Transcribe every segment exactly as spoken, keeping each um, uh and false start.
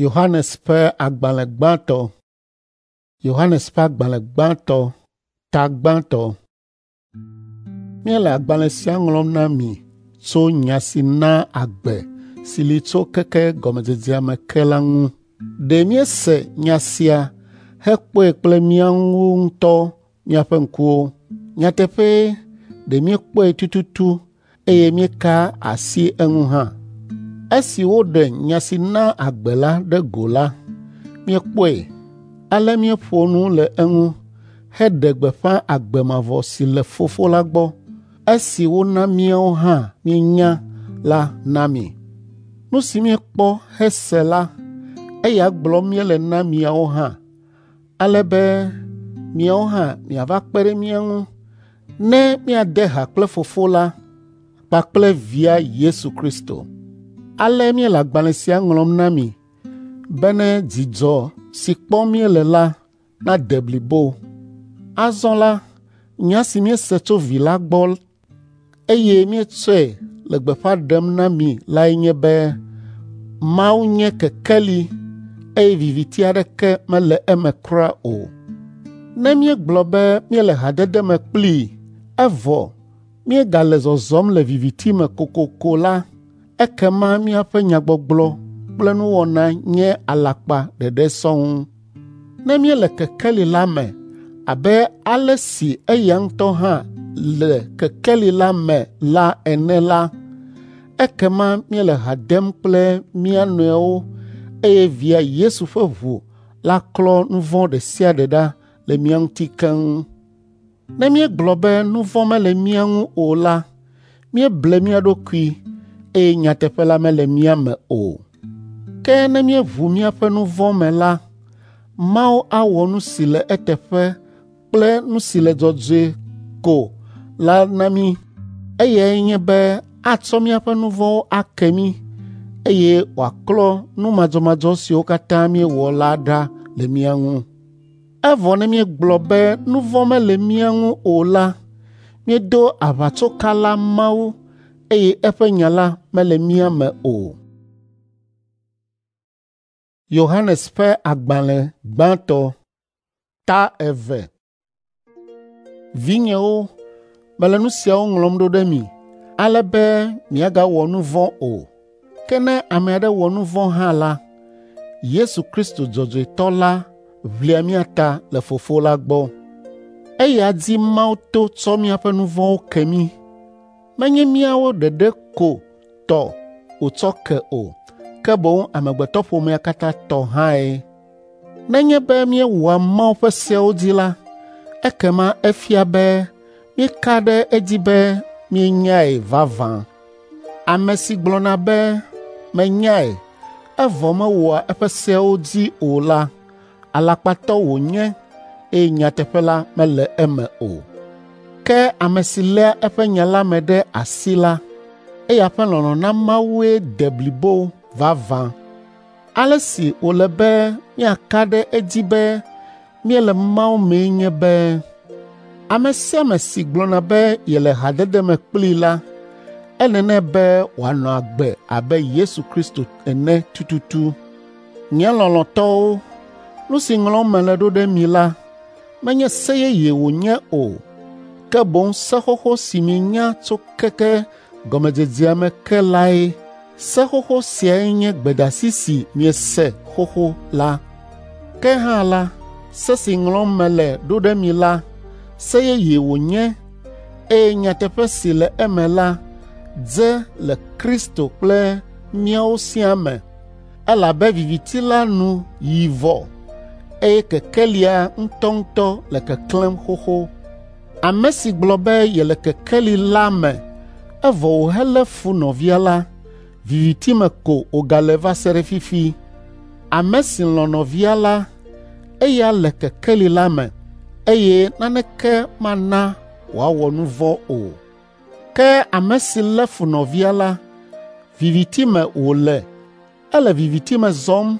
Yohanes ƒe agbalẽ gbãtɔ. Yohanes ƒe agbalẽ gbãtɔ, ta gbãtɔ. Míele agbalẽ sia ŋlɔm na mi tso nya si naa agbe si li tso keke gɔmedzedzea me ke la ŋu. Ɖe míese nya sia hekpɔe kple míawo ŋutɔ míaƒe ŋkuwo. Nyateƒee, ɖe míekpɔe tututu eye míeka asi eŋu hã. Esi woɖe nya si naa agbe la ɖe go la, míekpɔe, ale míeƒo nu le eŋu heɖe gbeƒã agbe mavɔ si le Fofo la gbɔ, esi wona míawo hã míenya la na mi. Nu si míekpɔ hese la, eya gblɔm míele na miawo hã, ale be miawo hã miava kpe ɖe mía ŋu ne míade ha kple Fofo la kpakple Via Yesu Kristo. Ale míele agbalẽ sia ŋlɔm na mi bene dzidzɔ si kpɔm míele la nade blibo. Azɔ la, nya si míese tso Vi la gbɔ eye míetsɔe le gbeƒã ɖem na mi lae nye be Mawu nye kekeli eye viviti aɖeke mele eme kura o. Ne míegblɔ be míele hadede me kplii evɔ míegale zɔzɔm le viviti me kokoko la, ekema míaƒe nyagbɔgblɔ kple nuwɔna nye alakpa ɖeɖe sɔŋ. Ne míele kekeli la me abe ale si eya ŋutɔ hã le kekeli la me la ene la, ekema míele ha dem kple mía nɔewo eye Via Yesu ƒe ʋu la klɔ nu vɔ̃ ɖe sia ɖe ɖa le mía ŋuti keŋ. Ne míegblɔ be nu vɔ̃ mele mía ŋu o la, míeble mía ɖokui eye nyateƒe la mele mía me o. Ke ne míeʋu míaƒe nu vɔ̃ me la, Mawu awɔ nu si le eteƒe kple nu si le dzɔdzɔe ko la na mí. Eyae nye be atsɔ míaƒe nu vɔ̃wo ake mí eye wòaklɔ nu madzɔmadzɔ siwo katã míewɔ la ɖa le mía ŋu. Evɔ ne míegblɔ be nu vɔ̃ mele mía ŋu o la, míedo aʋatsokala Mawu eye eƒe nya la mele mía me o. Yohanes ƒe agbalẽ gbãtɔ, ta eve. Vinyewo, mele nu siawo ŋlɔm ɖo ɖe mi, ale be miagawɔ nu vɔ̃ o. Ke ne ame aɖe wɔ nu vɔ̃ hã la, Yesu Kristo dzɔdzɔetɔ la ʋlia mía ta le Fofo la gbɔ. Eya dzi Mawu to tsɔ míaƒe nu vɔ̃wo ke mí. Menye míawo ɖeɖe ko tɔ wòtsɔ ke o, ke boŋ amegbetɔƒomea katã tɔ hãe. Nenye be míewɔa Mawu ƒe seawo dzi la, ekema efia be míeka ɖe edzi be míenyae vavã. Ame si gblɔna be menyae, evɔ mewɔa eƒe seawo dzi o la, alakpatɔ wònye eye nyateƒe la mele eme o. Ke ame si léa eƒe nya la me ɖe asi la, eya ƒe lɔlɔ̃ na Mawue de blibo vavã. Ale si wòle be míaka ɖe edzi be míele Mawu mee nye be ame sia ame si gblɔna be yele hadede me kplii la, ele nɛ be wòanɔ agbe abe Yesu Kristo ene tututu. Nye lɔlɔ̃tɔwo, nu si ŋlɔm mele ɖo ɖe mi la, menye se yeye wònye o, ke boŋ se xoxo si mienya tso keke gɔmedzedzea me ke lae. Se xoxo siae nye gbedeasi si miese xoxo la. Ke hã la, se si ŋlɔm mele ɖo ɖe mi la, se yeye wònye eye nyateƒe si le eme la dze le Kristo kple míawo siaa me, elabe viviti la nu yi vɔ eye kekelia ŋutɔŋutɔ le keklẽm xoxo. Ame si gblɔ be yele kekeli la me evɔ wòhelé fu nɔvia la, viviti me ko wògale va se ɖe fifi. Ame si lɔ̃ nɔvia la, eya le kekeli la me eye naneke mana wòawɔ nu vɔ̃ o. Ke ame si lé fu nɔvia la, viviti me wòle, ele viviti me zɔm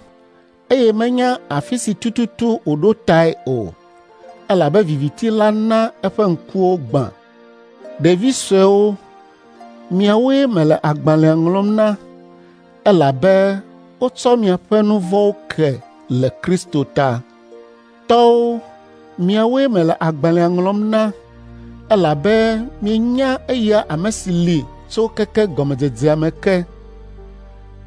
eye menya afi si tututu wòɖo tae o, elabe viviti la na eƒe ŋkuwo gbã. Ɖevi suewo, miawoe mele agbalẽa ŋlɔm na, elabe wotsɔ miaƒe nu vɔ̃wo ke le Kristo ta. Tɔwo, miawoe mele agbalẽa ŋlɔm na, elabe mienya eya ame si li tso keke gɔmedzedzea me ke.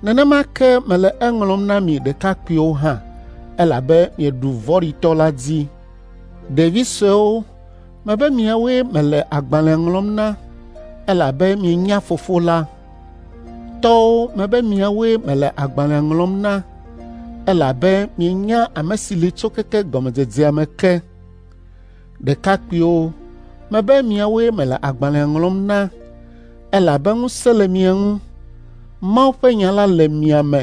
Nenema ke mele eŋlɔm na mi ɖekakpuiwo hã, elabe mieɖu vɔ̃ɖitɔ la dzi. Ɖevi suewo, mebe miawoe mele agbalẽa ŋlɔm na, elabe mienya Fofo la. Tɔwo, mebe miawoe mele agbalẽa ŋlɔm na, elabe mienya ame si li tso keke gɔmedzedzea me ke. Ɖekakpuiwo, mebe miawoe mele agbalẽa ŋlɔm na, elabe ŋusẽ le mia ŋu. Mawu ƒe nya la le mia me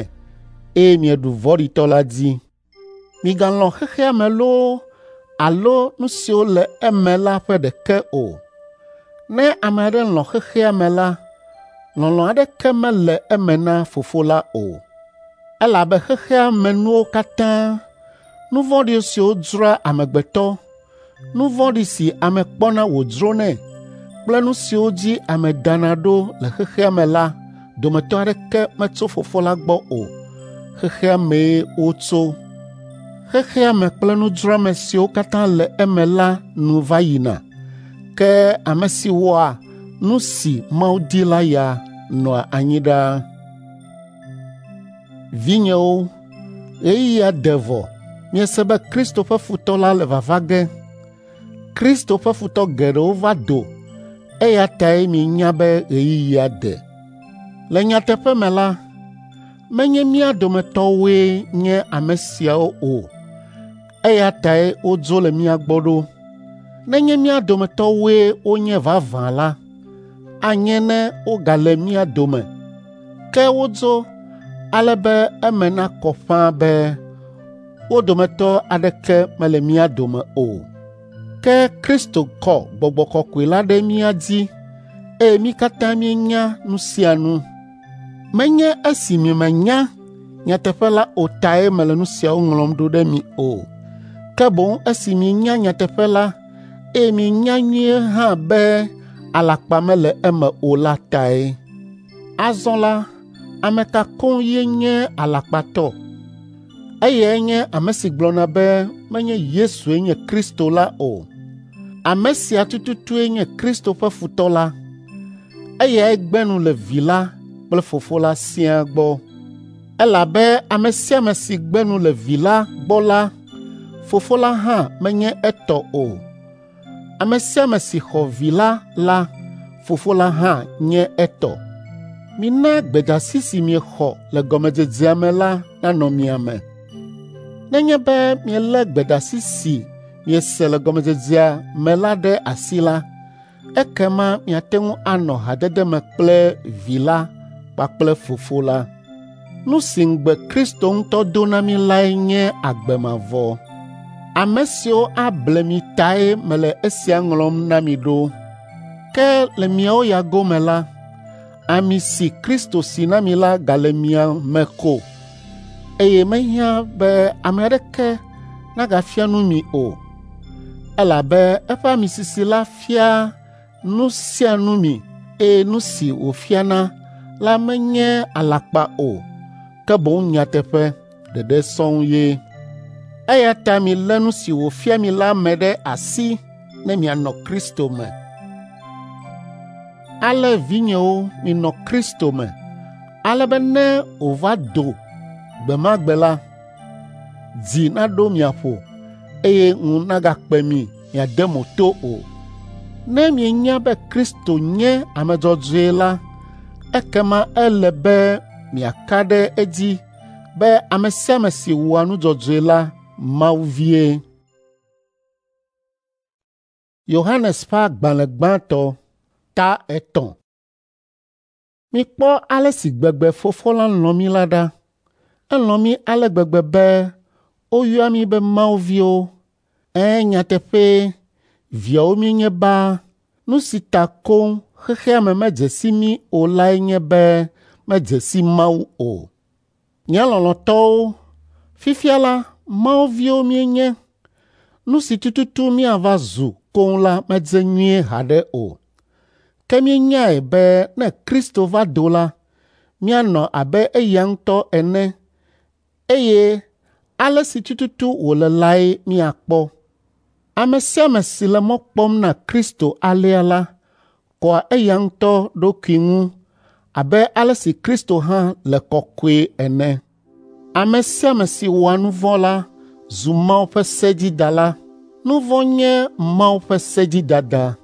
eye mieɖu vɔ̃ɖitɔ la dzi. Migalɔ̃ xexea me loo alo nu siwo le eme la ƒe ɖeke o. Ne ame aɖe lɔ̃ xexea me la, lɔlɔ̃ aɖeke mele eme na Fofo la o. Elabe xexea me nuwo katã, nu vɔ̃ɖi siwo dzroa amegbetɔ, nu vɔ̃ɖi si ame kpɔna wòdzronɛ kple nu siwo dzi ame dana ɖo le xexea me la dometɔ aɖeke metso Fofo la gbɔ o. Xexea mee wotso. Xexea me kple nudzroame siwo katã le eme la nu va yina, ke ame si wɔa nu si Mawu di la ya nɔa anyi ɖaa. Vinyewo, ɣeyiɣia de vɔ miese be Kristo ƒe futɔ la le vava ge. Kristo ƒe futɔ geɖewo va do, eya tae mienya be ɣeyiɣia de. Le nyateƒe me la, menye mía dometɔwoe nye ame siawo o, eya tae wodzo le mía gbɔ ɖo. Nenye mía dometɔwoe wonye vavã la, anye ne wogale mía dome. Ke wodzo ale be eme nakɔ ƒãa be wo dometɔ aɖeke mele mía dome o. Ke Kristo kɔ Gbɔgbɔ Kɔkɔe la ɖe mía dzi eye mí katã míenya nu sia nu. Menye esi miemenya nyateƒe la o tae mele nu siawo ŋlɔm ɖo ɖe mi o, ke boŋ esi mienya nyateƒe la eye mienya nyuie hã be alakpa mele eme o la tae. Azɔ la, ame ka koŋ ye nye alakpatɔ? Eyae nye ame si gblɔna be menye Yesue nye Kristo la o. Ame sia tututue nye Kristo ƒe futɔ la. Eyae gbe nu le Vi la kple Fofo la siaa gbɔ. Elabe ame sia ame si gbe nu le Vi la gbɔ la, Fofo la hã menye etɔ o. Ame sia ame si xɔ Vi la la, Fofo la hã nye etɔ. Mina gbedeasi si miexɔ le gɔmedzedzea me la nanɔ mia me. Nenye be mielé gbedeasi si miese le gɔmedzedzea me la ɖe asi la, ekema miate ŋu anɔ hadede me kple Vi la kpakple Fofo la. Nu si ŋugbe Kristo ŋutɔ do na mí lae nye agbe mavɔ. Ame siwo able mi tae mele esia ŋlɔm na mi ɖo. Ke le miawo ya gome la, ami si Kristo si na mi la gale mia me ko, eye mehiã be ame aɖeke nagafia nu mi o, elabe eƒe ami sisi la fia nu sia nu mi eye nu si wòfiana la menye alakpa o, ke boŋ nyateƒe ɖeɖe sɔŋ ye. Eya ta milé nu si wòfia mi la me ɖe asi ne mianɔ Kristo me. Ale vinyewo, minɔ Kristo me, ale be ne wòva do gbe ma gbe la, dzi naɖo mia ƒo eye ŋu nagakpe mi miade mo to o. Ne mienya be Kristo nye ame dzɔdzɔe la, ekema ele be miaka ɖe edzi be ame sia ame si wɔa nu dzɔdzɔe la Mawu vie. Yohanes ƒe agbalẽ gbãtɔ ta etɔ̃. Mikpɔ ale si gbegbe Fofo la lɔ̃ mí la ɖa. Elɔ̃ mí ale gbegbe be woyɔa mí be Mawu viwo. Ɛ̃, nyateƒee, viawo míenye baa. Nu si ta koŋ xexea me medze si mí o lae nye be medze si Mawu o. Nye lɔlɔ̃tɔwo, fifia la Mawu viwo míenye. Nu si tututu míava zu koŋ la medze nyuie haɖe o. Ke míenyae be ne Kristo va do la, míanɔ abe eya ŋutɔ ene, eye ale si tututu wòle lae míakpɔ. Ame sia ame si le mɔ kpɔm na Kristo alea la, kɔa eya ŋutɔ ɖokui ŋu abe ale si Kristo hã le kɔkɔe ene. Ame sia ame si wɔa nu vɔ̃ la zu Mawu ƒe sedzidala. Nu vɔ̃ nye Mawu ƒe sedzidada.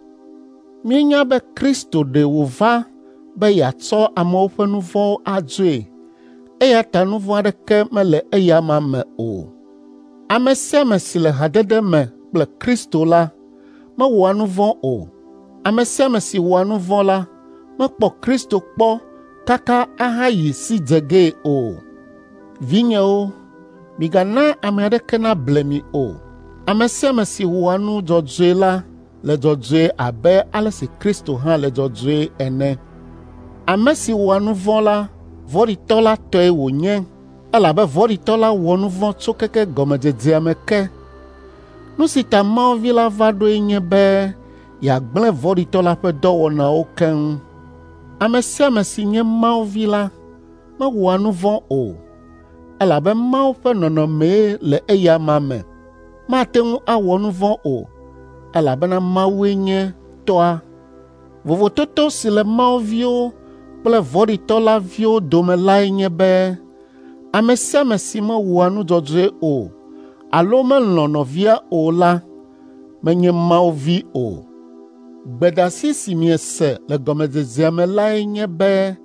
Míenya be Kristo ɖe wòva be yeatsɔ amewo ƒe nu vɔ̃wo adzoe, eya ta nu vɔ̃ aɖeke mele eya amea me o. Ame sia ame si le hadede me kple Kristo la mewɔa nu vɔ̃ o. Ame sia ame si wɔa nu vɔ̃ la mekpɔ Kristo kpɔ kaka ahayi si dze gee o. Vinyewo, migana ame aɖeke nable mi o. Ame sia ame si wɔa nu dzɔdzɔe la le dzɔdzɔe abe ale si Kristo hã le dzɔdzɔe ene. Ame si wɔa nu vɔ̃ la, vɔ̃ɖitɔ la tɔe wònye, elabe vɔ̃ɖitɔ la wɔ nu vɔ̃ tso keke gɔmedzedzea me ke. Nu si ta Mawu Vi la va ɖoe nye be yeagblẽ vɔ̃ɖitɔ la ƒe dɔwɔnawo keŋ. Ame sia ame si nye Mawu vi la mewɔa nu vɔ̃ o, elabe Mawu ƒe nɔnɔmee le eya amea me. Mate ŋu awɔ nu vɔ̃ o, elabena Mawue nye Tɔa. Vovototo si le Mawu viwo kple vɔ̃ɖitɔ la viwo dome lae nye be ame sia ame si mewɔa nu dzɔdzɔe o alo melɔ̃ nɔvia o la menye Mawu vi o. Gbedeasi si miese le gɔmedzedzea me lae nye be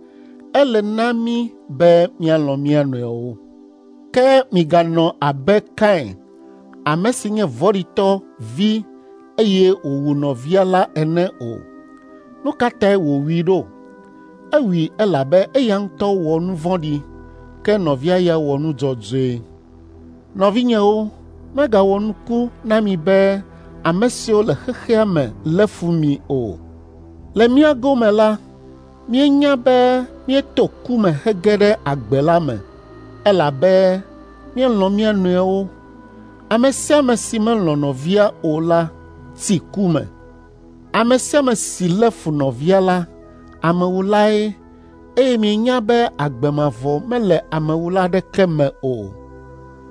ele na mí be míalɔ̃ mía nɔewo. Ke miganɔ abe Kain, ame si nye vɔ̃ɖitɔ vi eye wòwu nɔvia la ene o. Nu ka tae wòwui ɖo? Ewui elabe eya ŋutɔ wɔ nu vɔ̃ɖi, ke nɔvia ya wɔ nu dzɔdzɔe. Nɔvinyewo, megawɔ nuku na mi be ame siwo le xexea me lé fu mi o. Le mía gome la, míenya be míeto ku me hege ɖe agbe la me, elabe míelɔ̃ mía nɔewo. Ame sia ame si melɔ̃ nɔvia o la tsi ku me. Ame sia ame si lé fu nɔvia la, amewulae, eye mienya be agbe mavɔ mele amewula aɖeke me o.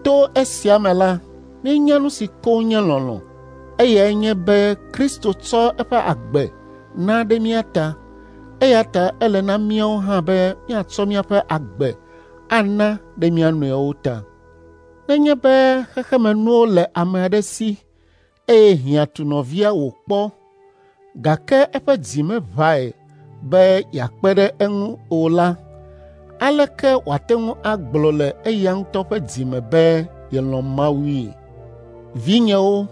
To esia me la, míenya nu si koŋ nye lɔlɔ̃. Eyae nye be Kristo tsɔ eƒe agbe na ɖe mía ta, eya ta ele na míawo hã be míatsɔ míaƒe agbe ana ɖe mía nɔewo ta. Nenye be xexemenuwo le ame aɖe si eye hiã tu nɔvia wòkpɔ, gake eƒe dzi meʋãe be yeakpe ɖe eŋu o la, aleke wòate ŋu agblɔ le eya ŋutɔ ƒe dzi me be yelɔ̃ Mawui? Vinyewo,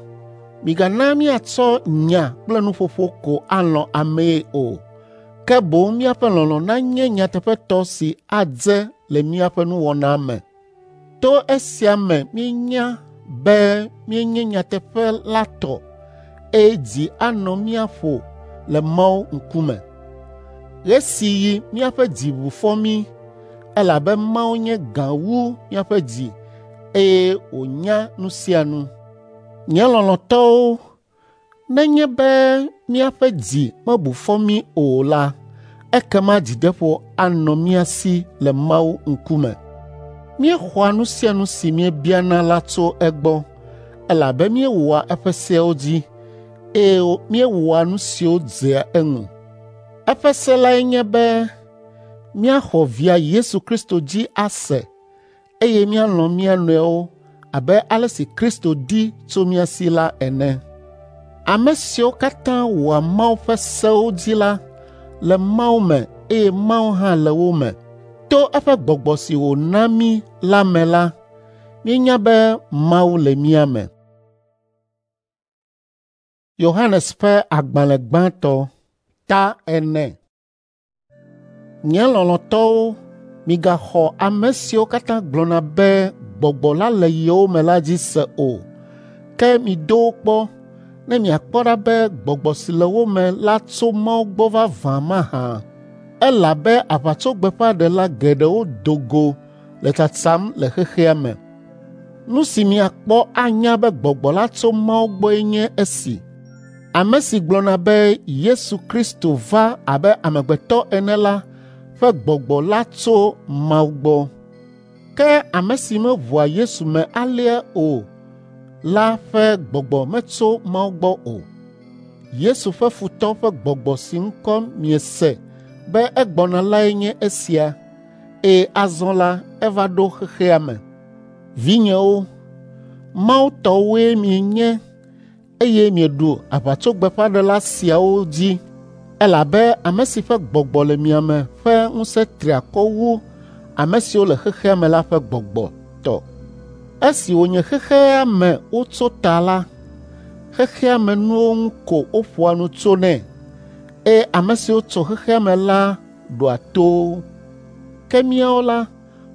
migana míatsɔ nya kple nuƒoƒo ko alɔ̃ amee o, ke boŋ míaƒe lɔlɔ̃ nanye nyateƒetɔ si adze le míaƒe nuwɔna me. To esia me míenya be míenye nyateƒe la tɔ, eye dzi anɔ mía ƒo le Mawu ŋkume. Ɣe si ɣi míaƒe dzi ʋu fɔ mí, elabe Mawu nye gã wu míaƒe dzi eye wònya nu sia nu. Nye lɔlɔ̃tɔwo, nenye be míaƒe dzi mebu fɔ mí o la, ekema dzideƒo anɔ mía si le Mawu ŋkume. Míexɔa nu sia nu si míebiana la tso egbɔ, elabe míewɔa eƒe seawo dzi, eye míewɔa nu siwo dzea eŋu. Eƒe se lae nye be míaxɔ Via Yesu Kristo dzi ase eye míalɔ̃ mía nɔewo abe ale si Kristo di tso mía si la ene. Ame siwo katã wɔa Mawu ƒe sewo dzi la le Mawu me eye Mawu hã le wo me. To eƒe gbɔgbɔ si wòna mí la me la, míenya be Mawu le mía me. Yohanes ƒe agbalẽ gbãtɔ ta ene. Nye lɔlɔ̃tɔwo, migaxɔ ame siwo katã gblɔna be gbɔgbɔ la le yewo me la dzi se o, ke mido wo kpɔ ne miakpɔ ɖa be gbɔgbɔ si le wo me la tso Mawu gbɔ vavã mahã. Elabe aʋatsogbeƒãɖela geɖewo do go le tsatsam le xexea me. Nu si miakpɔ anya be gbɔgbɔ la tso Mawu gbɔe nye esi. Ame si gblɔna be Yesu Kristo va abe amegbetɔ ene la ƒe gbɔgbɔ la tso Mawu gbɔ. Ke ame si meʋua Yesu me alea o la ƒe gbɔgbɔ metso Mawu gbɔ o. Yesu ƒe futɔ ƒe gbɔgbɔ si ŋkɔ miese be egbɔna lae nye esia, eye azɔ la eva ɖo xexea me. Vinyewo, Mawu tɔwoe mienye eye mieɖu aʋatsogbeƒãɖela siawo dzi elabe ame si ƒe gbɔgbɔ le mia me ƒe ŋusẽ tri akɔ wu ame siwo le xexea me la ƒe gbɔgbɔ tɔ. Esi wònye xexea me wotso ta la, xexea me nuwo ŋu ko woƒoa nu tsonɛ eye ame siwo tso xexea me la ɖoa to wo. Ke míawo la,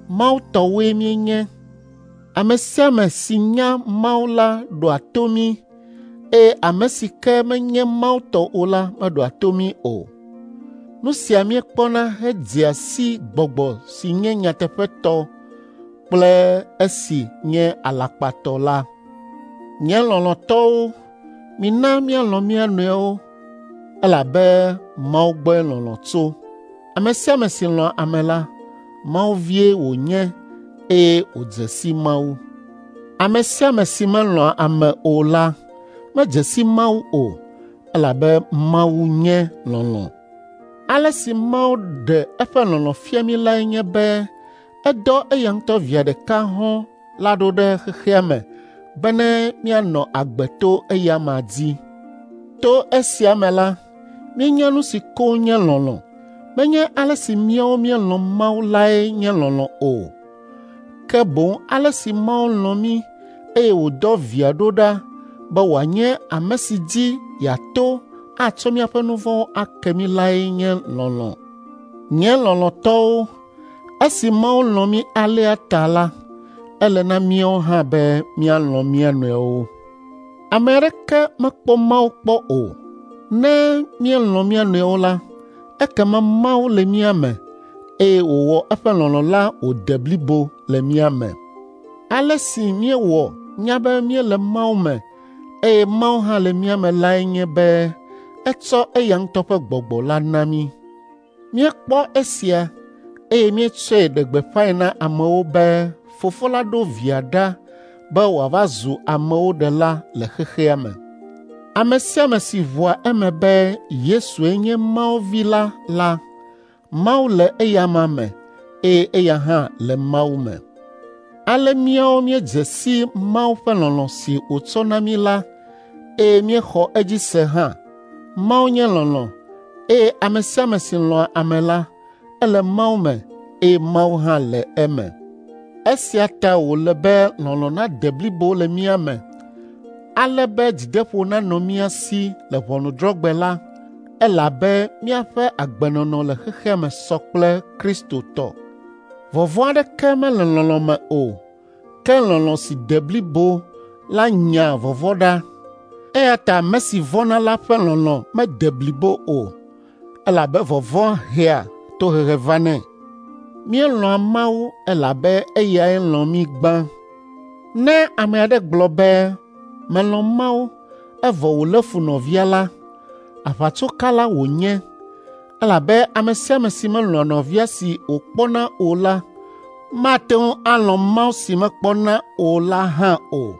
Mawu tɔwoe míenye. Ame sia ame si nya Mawu la ɖoa to mí eye ame si ke menye Mawu tɔ o la meɖoa to mí o. Nu sia míekpɔna hedzea si gbɔgbɔ si nye nyateƒetɔ kple esi nye alakpatɔ la. Nye lɔlɔ̃tɔwo, mina míalɔ̃ mía nɔewo elabe Mawu gbɔe lɔlɔ̃ tso. Ame sia ame si lɔ̃a ame la, Mawu vie wònye eye wòdze si Mawu. Ame sia ame si melɔ̃a ame o la, medze si Mawu o, elabe Mawu nye lɔlɔ̃. Ale si Mawu ɖe eƒe lɔlɔ̃ fia mí lae nye be edɔ eya ŋutɔ via ɖeka hɔ̃ la ɖo ɖe xexea me bene míanɔ agbe to eya amea dzi. To esia me la, míenya nu si koŋ nye lɔlɔ̃. Menye ale si míawo míelɔ̃ Mawu lae nye lɔlɔ̃ o, ke boŋ ale si Mawu lɔ̃ mí eye wòdɔ via ɖo ɖa be wòanye ame si dzi yeato atsɔ míaƒe nu vɔ̃wo ake mí lae nye lɔlɔ̃. Nye lɔlɔ̃tɔwo, esi Mawu lɔ̃ mí alea ta la, ele na míawo hã be míalɔ̃ mía nɔewo. Ame aɖeke mekpɔ Mawu kpɔ o. Ne míelɔ̃ mía nɔewo la, ekema Mawu le mía me eye wòwɔ eƒe lɔlɔ̃ la wòde blibo le mía me. Ale si míewɔ nya be míele Mawu me eye Mawu hã le mía me lae nye be etsɔ eya ŋutɔ ƒe gbɔgbɔ la na mí. Míekpɔ esia eye míetsɔe ɖe gbeƒãe na amewo be Fofo la ɖo Via ɖa be wòava zu amewo ɖela le xexea me. Ame sia ame si ʋua eme be Yesue nye Mawu Vi la la, Mawu le eya amea me eye eya hã le Mawu me. Ale míawo míedze si Mawu ƒe lɔlɔ̃ si wòtsɔ na mí la eye míexɔ edzi se hã. Mawu nye lɔlɔ̃ eye ame sia ame si lɔ̃a ame la, ele Mawu me eye Mawu hã le eme. Esia ta wòle be lɔlɔ̃ nade blibo le mía me, ale be dzideƒo nanɔ mía si le ʋɔnudrɔ̃gbe la, elabe míaƒe agbenɔnɔ le xexea me sɔ kple Kristo tɔ. Vɔvɔ̃ aɖeke mele lɔlɔ̃ me o, ke lɔlɔ̃ si de blibo la nyaa vɔvɔ̃ ɖa. Eya ta ame si vɔ̃na la ƒe lɔlɔ̃ mede blibo o, elabe vɔvɔ̃ hea tohehe vanɛ. Míelɔ̃a Mawu elabe eyae lɔ̃ mí gbã. Ne ame aɖe gblɔ be, “Melɔ̃ Mawu,” evɔ wòlé fu nɔvia la, aʋatsokala wònye elabe ame sia ame si melɔ̃a nɔvia si wòkpɔna o la, mate ŋu alɔ̃ Mawu si mekpɔna o la hã o.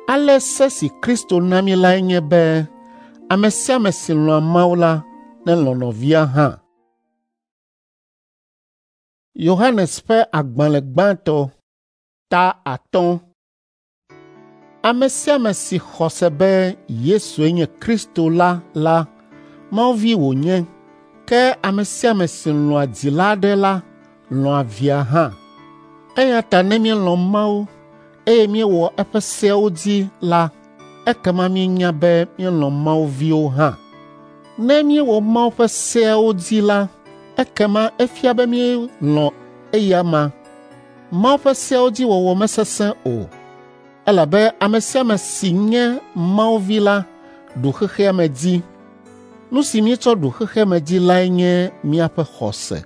Ale se si Kristo na mí lae nye be ame sia ame si lɔ̃a Mawu la nelɔ̃ nɔvia hã. Yohanes ƒe agbalẽ gbãtɔ ta atɔ̃. Ame sia ame si xɔ se be Yesue nye Kristo la la, Mawu vi wònye. Ke ame sia ame si lɔ̃a dzila aɖe la, lɔ̃a via hã. Eya ta ne míelɔ̃ Mawu eye míewɔ eƒe seawo dzi la, ekema míenya be míelɔ̃ Mawu viwo hã. Ne míewɔ Mawu ƒe seawo dzi la, ekema efia be míelɔ̃ eya amea. Mawu ƒe seawo dzi wɔwɔ mesesẽ o, elabe ame sia ame si nye Mawu vi la ɖu xexea me dzi. Nu si míetsɔ ɖu xexea me dzi lae nye míaƒe xɔse.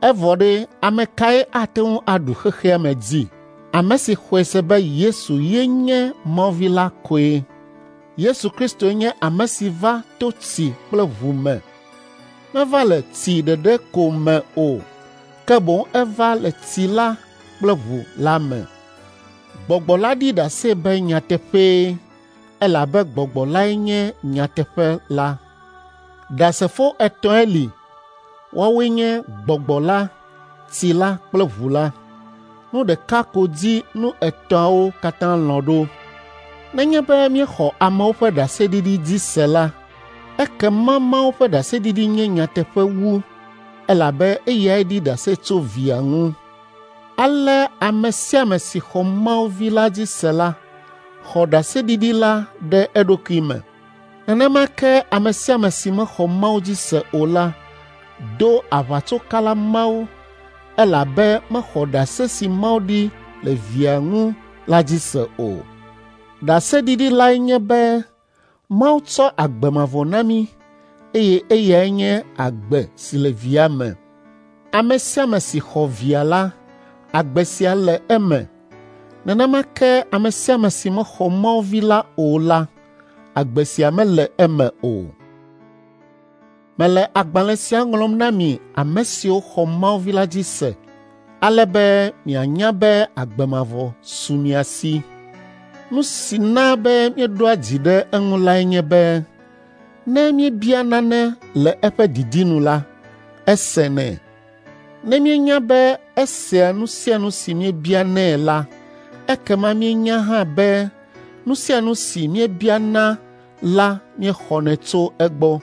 Evɔ ɖe, ame kae ate ŋu aɖu xexea me dzi? Ame si xɔe se be Yesu ye nye Mawu vi la koe. Yesu Kristoe nye ame si va to tsi kple ʋu me. Meva le tsi ɖeɖe ko me o, ke boŋ eva le tsi la kple ʋu la me. Gbɔgbɔ la ɖi ɖase be nyateƒee, elabe Gbɔgbɔ lae nye nyateƒe la. Ɖasefo etɔ̃e li. Woawoe nye Gbɔgbɔ la, tsi la kple ʋu la. Nu ɖeka ko dzi nu etɔ̃awo katã lɔ̃ ɖo. Nenye be míexɔ amewo ƒe ɖaseɖiɖi dzi se la, ekema Mawu ƒe ɖaseɖiɖi nye nyateƒe wu, elabe eyae ɖi ɖase tso Via ŋu. Ale ame sia ame si xɔ Mawu Vi la dzi se la, xɔ ɖaseɖiɖi la ɖe eɖokui me. Nenema ke ame sia ame si mexɔ Mawu dzi se o la do aʋatsokala Mawu, elabe mexɔ ɖase si Mawu ɖi le Via ŋu la dzi se o. Ɖaseɖiɖi lae nye be Mawu tsɔ agbe mavɔ na mí, eye eyae nye agbe si le Via me. Ame sia ame si xɔ Via la, agbe sia le eme. Nenema ke ame sia ame si mexɔ Mawu Vi la o la, agbe sia mele eme o. Mele agbalẽ sia ŋlɔm na mi ame siwo xɔ Mawu Vi la dzi se, ale be mianya be agbe mavɔ su mia si. Nu si na be míeɖoa dzi ɖe eŋu lae nye be, ne míebia nane le eƒe didi nu la, esenɛ. Ne míenya be esea nu sia nu si míebianɛ la, ekema míenya hã be nu sia nu si míebiana la míexɔnɛ tso egbɔ.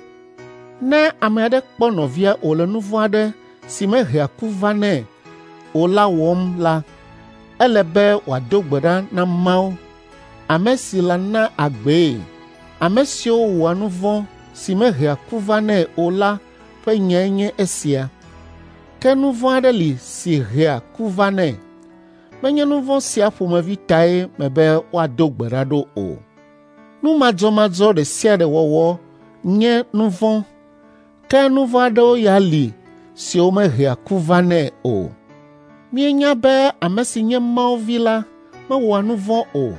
Ne ame aɖe kpɔ nɔvia wòle nu vɔ̃ aɖe si mehea ku vanɛ o la wɔm la, ele be wòado gbe ɖa na Mawu, ame si la na agbee. Ame siwo wɔa nu vɔ̃ si mehea ku vanɛ o la ƒe nyae nye esia. Ke nu vɔ̃ aɖe li si hea ku vanɛ. Menye nu vɔ̃ sia ƒomevi tae mebe woado gbe ɖa ɖo o. Nu madzɔmadzɔ ɖe sia ɖe wɔwɔ nye nu vɔ̃, ke nu vɔ̃ aɖewo ya li siwo mehea ku vanɛ o. Míenya be ame si nye Mawu Vi la mewɔa nu vɔ̃ o,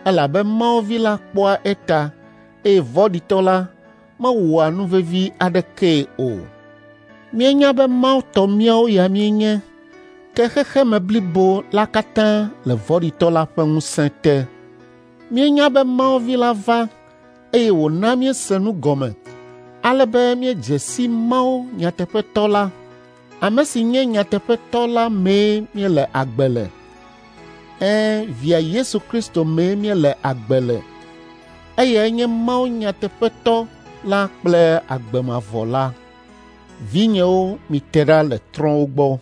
elabe Mawu Vi la kpɔa eta, eye vɔ̃ɖitɔ la mewɔa nu vevi aɖekee o. Míenya be Mawu tɔ míawo ya míenye, ke xexeme blibo la katã le vɔ̃ɖitɔ la ƒe ŋusẽ te. Míenya be Mawu Vi la va, eye wòna míese nu gɔme, ale be míedze si Mawu nyateƒetɔ la. Ame si nye nyateƒetɔ la mee míele agbe le. Ɛ̃, Via Yesu Kristo mee míele agbe le. Eyae nye Mawu nyateƒetɔ la kple agbe mavɔ la. Vinyewo, mite ɖa le trɔ̃wo gbɔ.